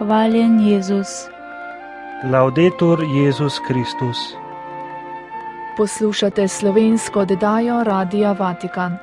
Hvaljen Jezus. Laudetur Jezus Kristus. Poslušate slovensko oddajo Radia Vatikan.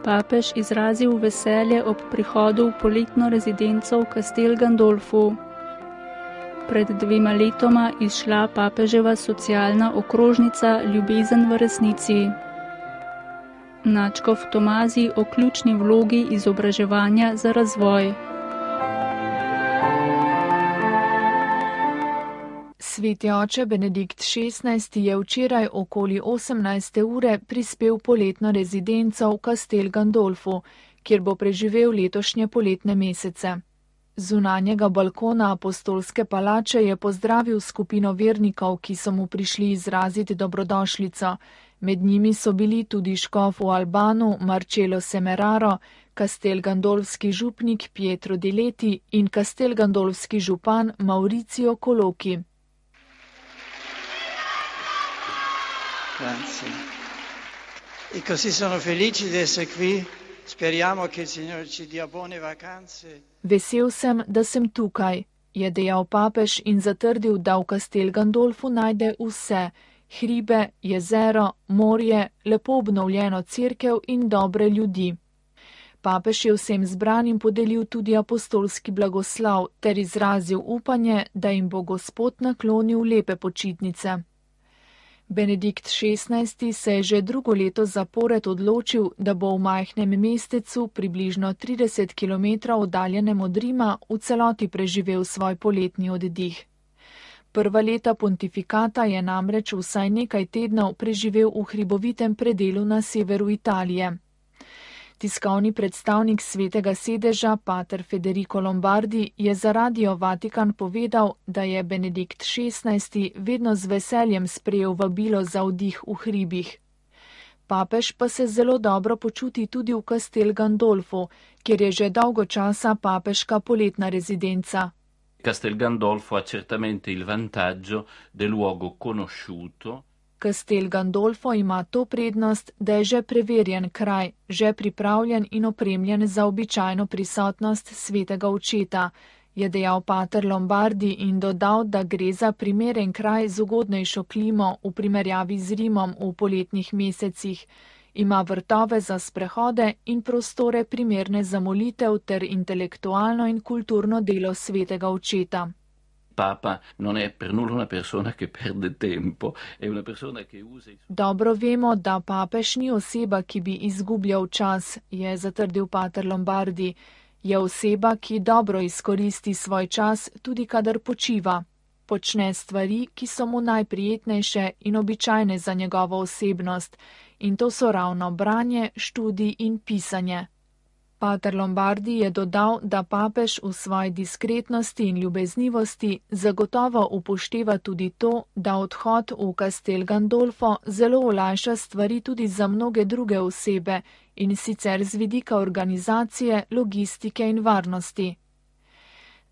Papež izrazil veselje ob prihodu v poletno rezidenco v Castel Gandolfu. Pred 2 letoma izšla papeževa socialna okrožnica Ljubezen v resnici. Nadškof Tomazi o ključni vlogi izobraževanja za razvoj. Sveti oče Benedikt XVI je včeraj okoli 18. ure prispel poletno rezidenco v Castel Gandolfu, kjer bo preživel letošnje poletne mesece. Zunanjega balkona apostolske palače je pozdravil skupino vernikov, ki so mu prišli izraziti dobrodošlico. Med njimi so bili tudi škof v Albanu Marcello Semeraro, Castel Gandolfski župnik Pietro Di Leti in Castel Gandolfski župan Maurizio Colochi. Grazie. E così sono felice di essere qui. Speriamo che il Signore ci dia buone vacanze. Vesel sem, da sem tukaj, je dejal papež in zatrdil, da v Castel Gandolfu najde vse: hribe, jezero, morje, lepo obnovljeno cerkev in dobre ljudi. Papež je vsem zbranim podelil tudi apostolski blagoslov ter izrazil upanje, da jim bo Gospod naklonil lepe počitnice. Benedikt XVI se je že drugo leto zapored odločil, da bo v majhnem mestecu, približno 30 km oddaljenem od Rima, v celoti preživel svoj poletni oddih. Prva leta pontifikata je namreč vsaj nekaj tednov preživel v hribovitem predelu na severu Italije. Tiskovni predstavnik Svetega sedeža, pater Federico Lombardi, je za Radio Vatikan povedal, da je Benedikt XVI vedno z veseljem sprejel vabilo za vdih v hribih. Papež pa se zelo dobro počuti tudi v Castel Gandolfu, kjer je že dolgo časa papeška poletna rezidenca. Castel Gandolfo ha certamente il vantaggio del luogo conosciuto. Castel Gandolfo ima to prednost, da je že preverjen kraj, že pripravljen in opremljen za običajno prisotnost svetega očeta, je dejal pater Lombardi in dodal, da gre za primeren kraj z ugodnejšo klimo v primerjavi z Rimom v poletnih mesecih. Ima vrtove za sprehode in prostore primerne za molitev ter intelektualno in kulturno delo svetega očeta. Papa non è per nulla una persona che perde tempo, è una persona che usa... Dobro vemo, da papež ni oseba, ki bi izgubljal čas, je zatrdil pater Lombardi. Je oseba, ki dobro izkoristi svoj čas, tudi kadar počiva. Počne stvari, ki so mu najprijetnejše in običajne za njegovo osebnost, in to so ravno branje, študij in pisanje. Pater Lombardi je dodal, da papež v svoji diskretnosti in ljubeznivosti zagotovo upošteva tudi to, da odhod v Castel Gandolfo zelo olajša stvari tudi za mnoge druge osebe, in sicer z vidika organizacije, logistike in varnosti.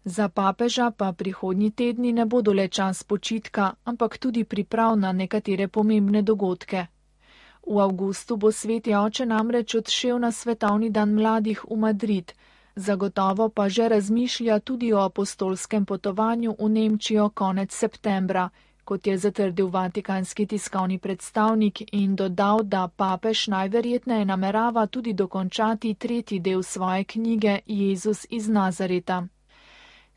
Za papeža pa prihodnji tedni ne bodo le čas počitka, ampak tudi priprav na nekatere pomembne dogodke. V avgustu bo sveti oče namreč odšel na svetovni dan mladih v Madrid, zagotovo pa že razmišlja tudi o apostolskem potovanju v Nemčijo konec septembra, kot je zatrdil vatikanski tiskovni predstavnik in dodal, da papež najverjetneje namerava tudi dokončati 3. del svoje knjige Jezus iz Nazareta.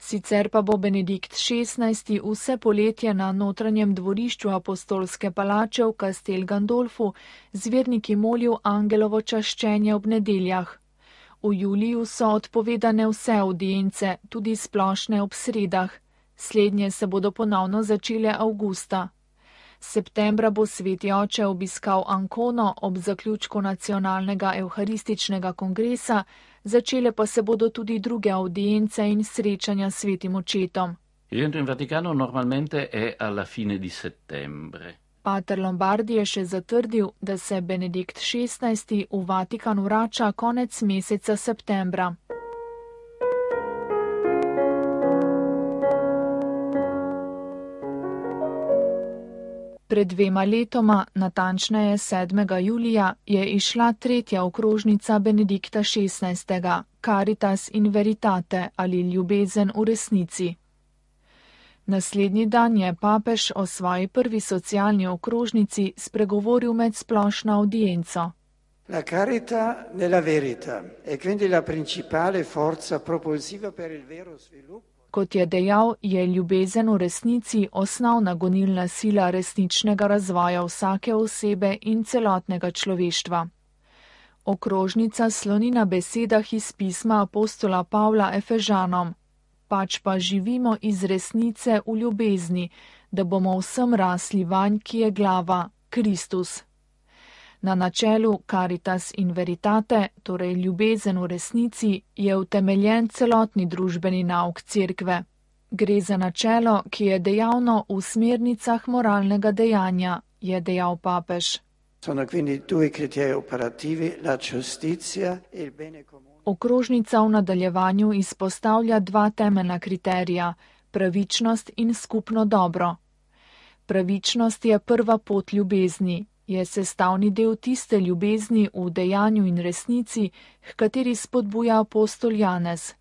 Sicer pa bo Benedikt XVI vse poletje na notranjem dvorišču apostolske palače v Castel Gandolfu z verniki molil angelovo čaščenje ob nedeljah. V juliju so odpovedane vse avdience, tudi splošne ob sredah. Slednje se bodo ponovno začele avgusta. Septembra bo sveti oče obiskal Ancono ob zaključku nacionalnega evharističnega kongresa, začele pa se bodo tudi druge avdience in srečanja s svetim očetom. Il rientro in Vaticano normalmente è alla fine di settembre. Pater Lombardi je še zatrdil, da se Benedikt XVI v Vatikan vrača konec meseca septembra. Pred 2 letoma, natančneje 7. julija, je izšla 3. okrožnica Benedikta XVI, Caritas in Veritate ali ljubezen v resnici. Naslednji dan je papež o svoji prvi socialni okrožnici spregovoril med splošno audienco. La carità nella verità è quindi la principale forza propulsiva per il vero sviluppo. Kot je dejal, je ljubezen v resnici osnovna gonilna sila resničnega razvoja vsake osebe in celotnega človeštva. Okrožnica sloni na besedah iz pisma apostola Pavla Efežanom. Pač pa živimo iz resnice v ljubezni, da bomo vsem rasli vanj, ki je glava, Kristus. Na načelu Caritas in Veritate, torej ljubezen v resnici, je utemeljen celotni družbeni nauk Cerkve. Gre za načelo, ki je dejavno v smernicah moralnega dejanja, je dejal papež. Sono quindi 2 criteri operativi, la giustizia e il bene comune. Okrožnica v nadaljevanju izpostavlja 2 temeljna kriterija, pravičnost in skupno dobro. Pravičnost je prva pot ljubezni, je sestavni del tiste ljubezni v dejanju in resnici, h kateri spodbuja apostol Janez.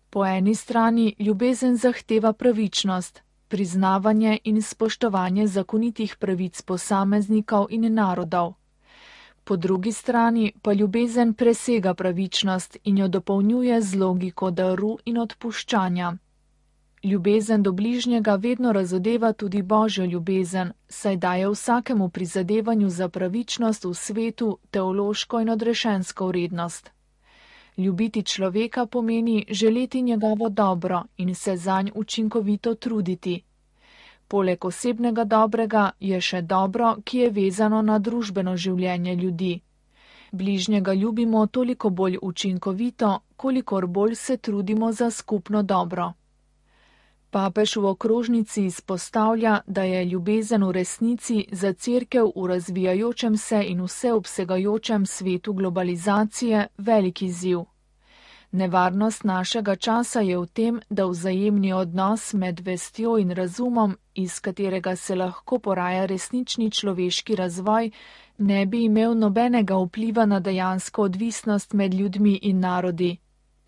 Po eni strani ljubezen zahteva pravičnost, priznavanje in spoštovanje zakonitih pravic posameznikov in narodov. Po drugi strani pa ljubezen presega pravičnost in jo dopolnjuje z logiko daru in odpuščanja. Ljubezen do bližnjega vedno razodeva tudi božjo ljubezen, saj daje vsakemu prizadevanju za pravičnost v svetu teološko in odrešensko vrednost. Ljubiti človeka pomeni želeti njegovo dobro in se zanj učinkovito truditi. Poleg osebnega dobrega je še dobro, ki je vezano na družbeno življenje ljudi. Bližnjega ljubimo toliko bolj učinkovito, kolikor bolj se trudimo za skupno dobro. Papež v okrožnici izpostavlja, da je ljubezen v resnici za Cerkev v razvijajočem se in vseobsegajočem svetu globalizacije velik izziv. Nevarnost našega časa je v tem, da vzajemni odnos med vestjo in razumom, iz katerega se lahko poraja resnični človeški razvoj, ne bi imel nobenega vpliva na dejansko odvisnost med ljudmi in narodi.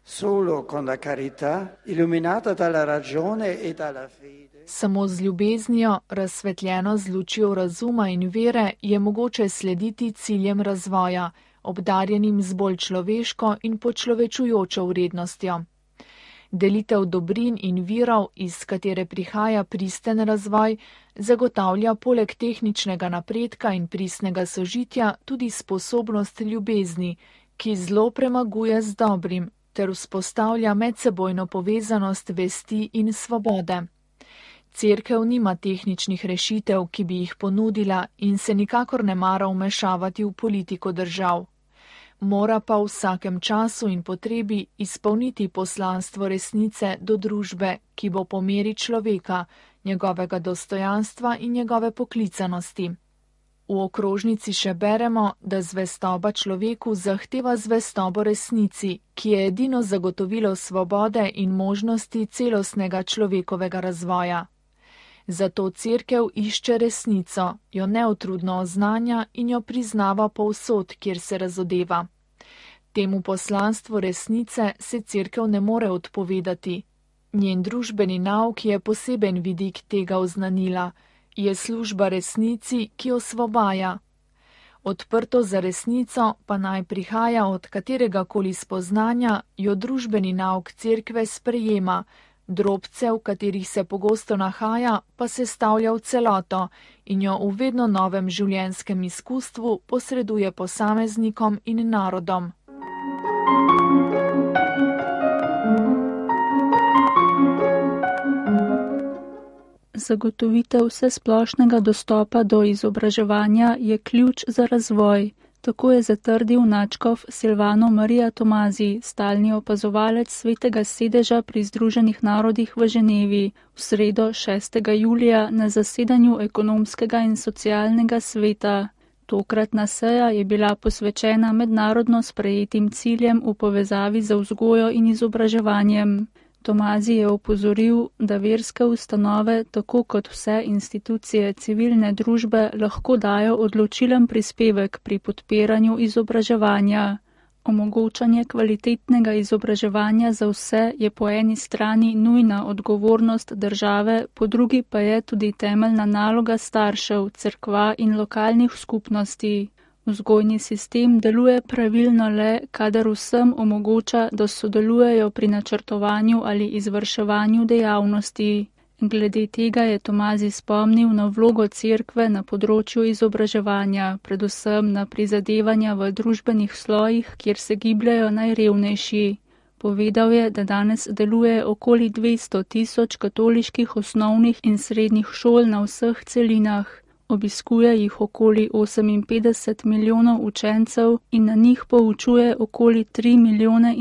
Solo con la carità, illuminata dalla ragione e dalla fede. Samo z ljubeznijo, razsvetljeno z lučjo razuma in vere, je mogoče slediti ciljem razvoja, obdarjenim z bolj človeško in počlovečujočo vrednostjo. Delitev dobrin in virov, iz katere prihaja pristen razvoj, zagotavlja poleg tehničnega napredka in pristnega sožitja tudi sposobnost ljubezni, ki zlo premaguje z dobrim, ter vzpostavlja medsebojno povezanost vesti in svobode. Cerkev nima tehničnih rešitev, ki bi jih ponudila in se nikakor ne mara vmešavati v politiko držav. Mora pa v vsakem času in potrebi izpolniti poslanstvo resnice do družbe, ki bo po meri človeka, njegovega dostojanstva in njegove poklicanosti. V okrožnici še beremo, da zvestoba človeku zahteva zvestobo resnici, ki je edino zagotovilo svobode in možnosti celostnega človekovega razvoja. Zato Cerkev išče resnico, jo neutrudno oznanja in jo priznava povsod, kjer se razodeva. Temu poslanstvu resnice se Cerkev ne more odpovedati. Njen družbeni nauk je poseben vidik tega oznanila, je služba resnici, ki osvobaja. Odprto za resnico pa naj prihaja od kateregakoli spoznanja, jo družbeni nauk Cerkve sprejema, drobce, v katerih se pogosto nahaja, pa sestavlja v celoto in jo v vedno novem življenjskem izkustvu posreduje posameznikom in narodom. Zagotovitev vsesplošnega dostopa do izobraževanja je ključ za razvoj. Tako je zatrdil nadškof Silvano Marija Tomazi, stalni opazovalec Svetega sedeža pri Združenih narodih v Ženevi, v sredo 6. julija na zasedanju ekonomskega in socialnega sveta. Tokratna seja je bila posvečena mednarodno sprejetim ciljem v povezavi z vzgojo in izobraževanjem. Tomazi je opozoril, da verske ustanove, tako kot vse institucije civilne družbe, lahko dajo odločilen prispevek pri podpiranju izobraževanja. Omogočanje kvalitetnega izobraževanja za vse je po eni strani nujna odgovornost države, po drugi pa je tudi temeljna naloga staršev, cerkva in lokalnih skupnosti. Vzgojni sistem deluje pravilno le, kadar vsem omogoča, da sodelujejo pri načrtovanju ali izvrševanju dejavnosti. Glede tega je Tomazi spomnil na vlogo cerkve na področju izobraževanja, predvsem na prizadevanja v družbenih slojih, kjer se gibljajo najrevnejši. Povedal je, da danes deluje okoli 200 000 katoliških osnovnih in srednjih šol na vseh celinah. Obiskuje jih okoli 58 milijonov učencev in na njih poučuje okoli 3,5 milijona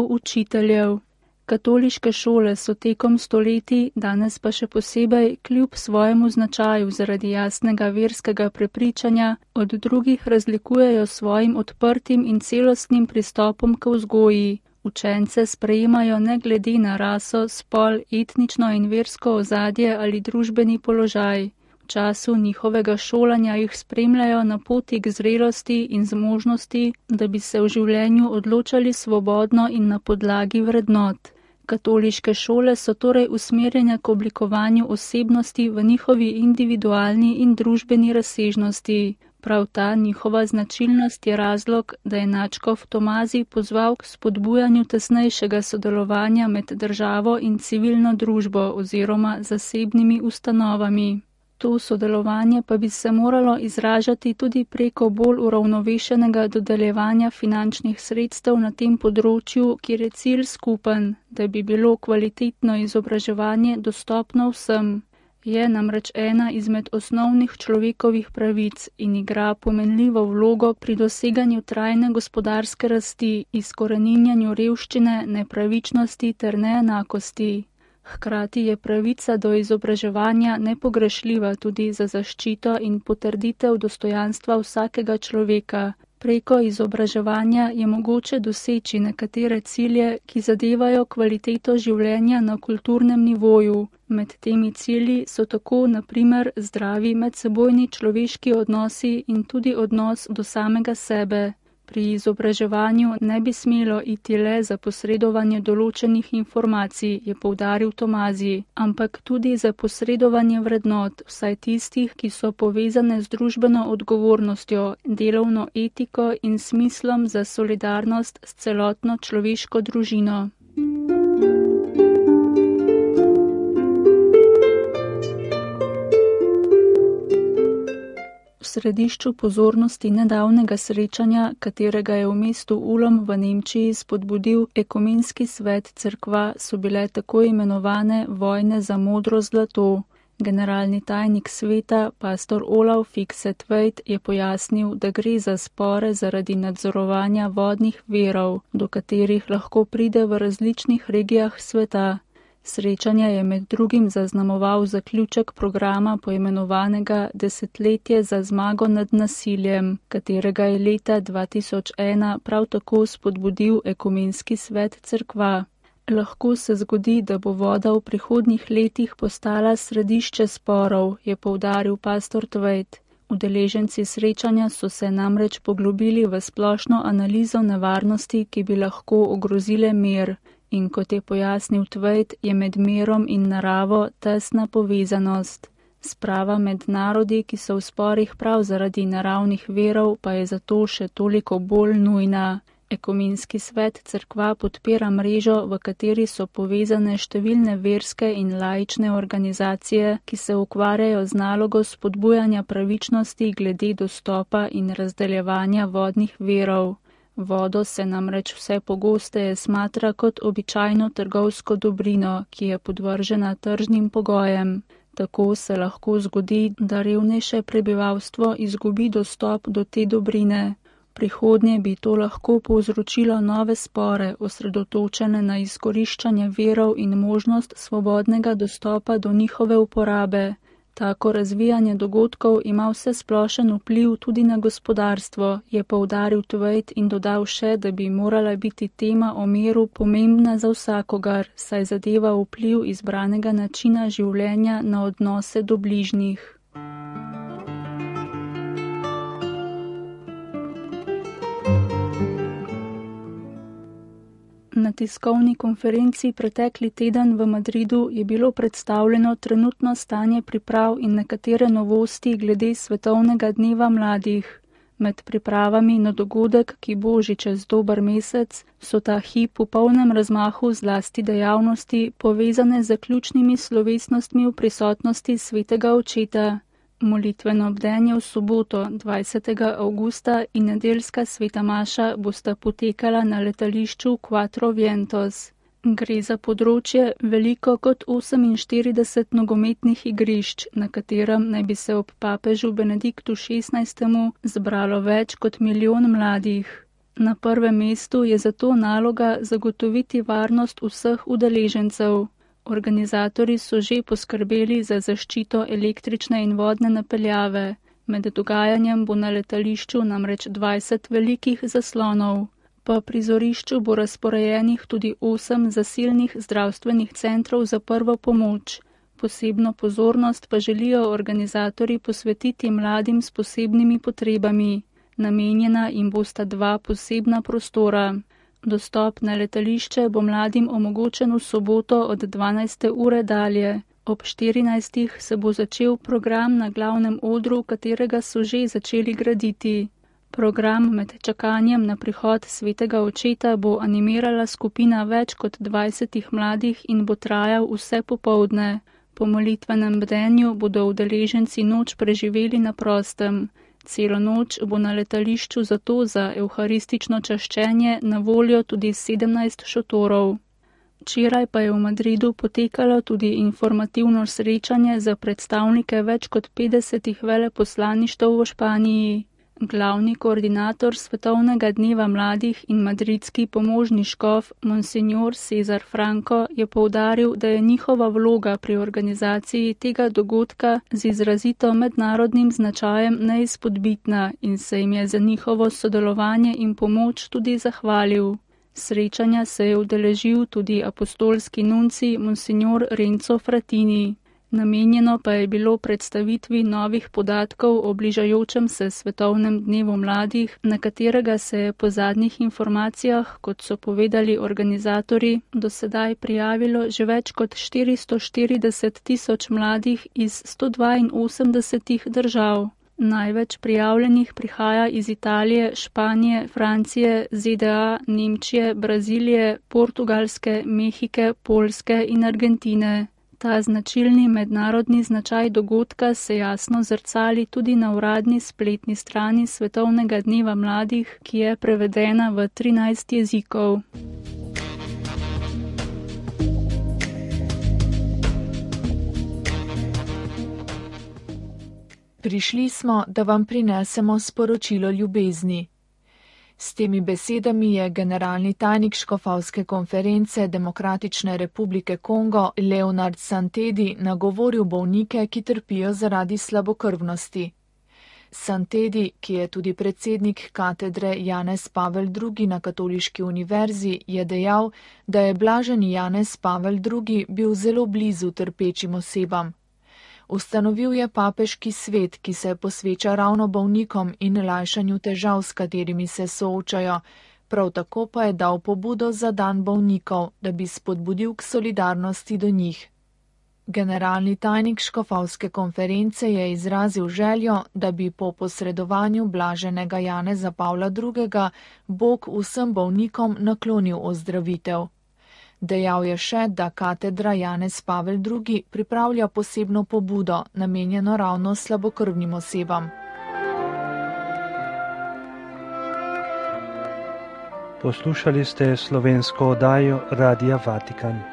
učiteljev. Katoliške šole so tekom stoletij, danes pa še posebej, kljub svojemu značaju zaradi jasnega verskega prepričanja, od drugih razlikujejo svojim odprtim in celostnim pristopom k vzgoji. Učence sprejemajo ne glede na raso, spol, etnično in versko ozadje ali družbeni položaj. V času njihovega šolanja jih spremljajo na poti k zrelosti in zmožnosti, da bi se v življenju odločali svobodno in na podlagi vrednot. Katoliške šole so torej usmerjene k oblikovanju osebnosti v njihovi individualni in družbeni razsežnosti. Prav ta njihova značilnost je razlog, da je nadškof Tomazi pozval k spodbujanju tesnejšega sodelovanja med državo in civilno družbo oziroma zasebnimi ustanovami. To sodelovanje pa bi se moralo izražati tudi preko bolj uravnovešenega dodeljevanja finančnih sredstev na tem področju, kjer je cilj skupen, da bi bilo kvalitetno izobraževanje dostopno vsem. Je namreč ena izmed osnovnih človekovih pravic in igra pomenljivo vlogo pri doseganju trajne gospodarske rasti, izkoreninjanju revščine, nepravičnosti ter neenakosti. Hkrati je pravica do izobraževanja nepogrešljiva tudi za zaščito in potrditev dostojanstva vsakega človeka. Preko izobraževanja je mogoče doseči nekatere cilje, ki zadevajo kvaliteto življenja na kulturnem nivoju. Med temi cilji so tako, na primer, zdravi medsebojni človeški odnosi in tudi odnos do samega sebe. Pri izobraževanju ne bi smelo iti le za posredovanje določenih informacij, je poudaril Tomazi, ampak tudi za posredovanje vrednot, vsaj tistih, ki so povezane z družbeno odgovornostjo, delovno etiko in smislom za solidarnost s celotno človeško družino. V središču pozornosti nedavnega srečanja, katerega je v mestu Ulm v Nemčiji spodbudil ekumenski svet cerkva, so bile tako imenovane vojne za modro zlato. Generalni tajnik sveta, pastor Olav Fikse-Tveit, je pojasnil, da gre za spore zaradi nadzorovanja vodnih virov, do katerih lahko pride v različnih regijah sveta. Srečanje je med drugim zaznamoval zaključek programa poimenovanega Desetletje za zmago nad nasiljem, katerega je leta 2001 prav tako spodbudil ekumenski svet cerkva. Lahko se zgodi, da bo voda v prihodnjih letih postala središče sporov, je poudaril pastor Tveit. Udeleženci srečanja so se namreč poglobili v splošno analizo nevarnosti, ki bi lahko ogrozile mir. In kot je pojasnil Tveit, je med mirom in naravo tesna povezanost. Sprava med narodi, ki so v sporih prav zaradi naravnih virov, pa je zato še toliko bolj nujna. Ekumenski svet cerkva podpira mrežo, v kateri so povezane številne verske in laične organizacije, ki se ukvarjajo z nalogo spodbujanja pravičnosti glede dostopa in razdeljevanja vodnih virov. Vodo se namreč vse pogosteje smatra kot običajno trgovsko dobrino, ki je podvržena tržnim pogojem. Tako se lahko zgodi, da revnejše prebivalstvo izgubi dostop do te dobrine. Prihodnje bi to lahko povzročilo nove spore, osredotočene na izkoriščanje virov in možnost svobodnega dostopa do njihove uporabe. Tako razvijanje dogodkov ima vsesplošen vpliv tudi na gospodarstvo, je poudaril Tveit in dodal še, da bi morala biti tema o miru pomembna za vsakogar, saj zadeva vpliv izbranega načina življenja na odnose do bližnjih. Na tiskovni konferenci pretekli teden v Madridu je bilo predstavljeno trenutno stanje priprav in nekatere novosti glede svetovnega dneva mladih. Med pripravami na dogodek, ki bo že čez dober mesec, so ta hip v polnem razmahu zlasti dejavnosti povezane z zaključnimi slovesnostmi v prisotnosti svetega očeta. Molitveno bdenje v soboto 20. avgusta in nedeljska sveta maša bosta potekala na letališču Quatro Vientos. Gre za področje veliko kot 48 nogometnih igrišč, na katerem naj bi se ob papežu Benediktu XVI. Zbralo več kot 1 milijon mladih. Na prvem mestu je zato naloga zagotoviti varnost vseh udeležencev. Organizatorji so že poskrbeli za zaščito električne in vodne napeljave. Med dogajanjem bo na letališču namreč 20 velikih zaslonov. Po prizorišču bo razporejenih tudi 8 zasilnih zdravstvenih centrov za prvo pomoč. Posebno pozornost pa želijo organizatorji posvetiti mladim s posebnimi potrebami. Namenjena jim bosta 2 posebna prostora. Dostop na letališče bo mladim omogočen v soboto od 12. ure dalje. Ob 14. se bo začel program na glavnem odru, katerega so že začeli graditi. Program med čakanjem na prihod svetega očeta bo animirala skupina več kot 20 mladih in bo trajal vse popoldne. Po molitvenem bdenju bodo udeleženci noč preživeli na prostem. Celo noč bo na letališču zato za evharistično čaščenje na voljo tudi 17 šotorov. Včeraj pa je v Madridu potekalo tudi informativno srečanje za predstavnike več kot 50 veleposlaništev v Španiji. Glavni koordinator Svetovnega dneva mladih in madridski pomožni škof Monsignor Cesar Franco je poudaril, da je njihova vloga pri organizaciji tega dogodka z izrazito mednarodnim značajem neizpodbitna in se jim je za njihovo sodelovanje in pomoč tudi zahvalil. Srečanja se je udeležil tudi apostolski nunci Monsignor Renzo Fratini. Namenjeno pa je bilo predstavitvi novih podatkov o bližajočem se svetovnem dnevu mladih, na katerega se je po zadnjih informacijah, kot so povedali organizatorji, do sedaj prijavilo že več kot 440 tisoč mladih iz 182 držav. Največ prijavljenih prihaja iz Italije, Španije, Francije, ZDA, Nemčije, Brazilije, Portugalske, Mehike, Poljske in Argentine. Ta značilni mednarodni značaj dogodka se jasno zrcali tudi na uradni spletni strani Svetovnega dneva mladih, ki je prevedena v 13 jezikov. Prišli smo, da vam prinesemo sporočilo ljubezni. S temi besedami je generalni tajnik škofovske konference Demokratične republike Kongo Leonard Santedi nagovoril bolnike, ki trpijo zaradi slabokrvnosti. Santedi, ki je tudi predsednik katedre Janez Pavel II. Na Katoliški univerzi, je dejal, da je blaženi Janez Pavel II. Bil zelo blizu trpečim osebam. Ustanovil je papeški svet, ki se posveča ravno bolnikom in lajšanju težav, s katerimi se soočajo. Prav tako pa je dal pobudo za dan bolnikov, da bi spodbudil k solidarnosti do njih. Generalni tajnik škofovske konference je izrazil željo, da bi po posredovanju blaženega Janeza Pavla II. Bog vsem bolnikom naklonil ozdravitev. Dejal je še, da katedra Janez Pavel II. Pripravlja posebno pobudo, namenjeno ravno slabokrvnim osebam. Poslušali ste slovensko oddajo Radia Vatikan.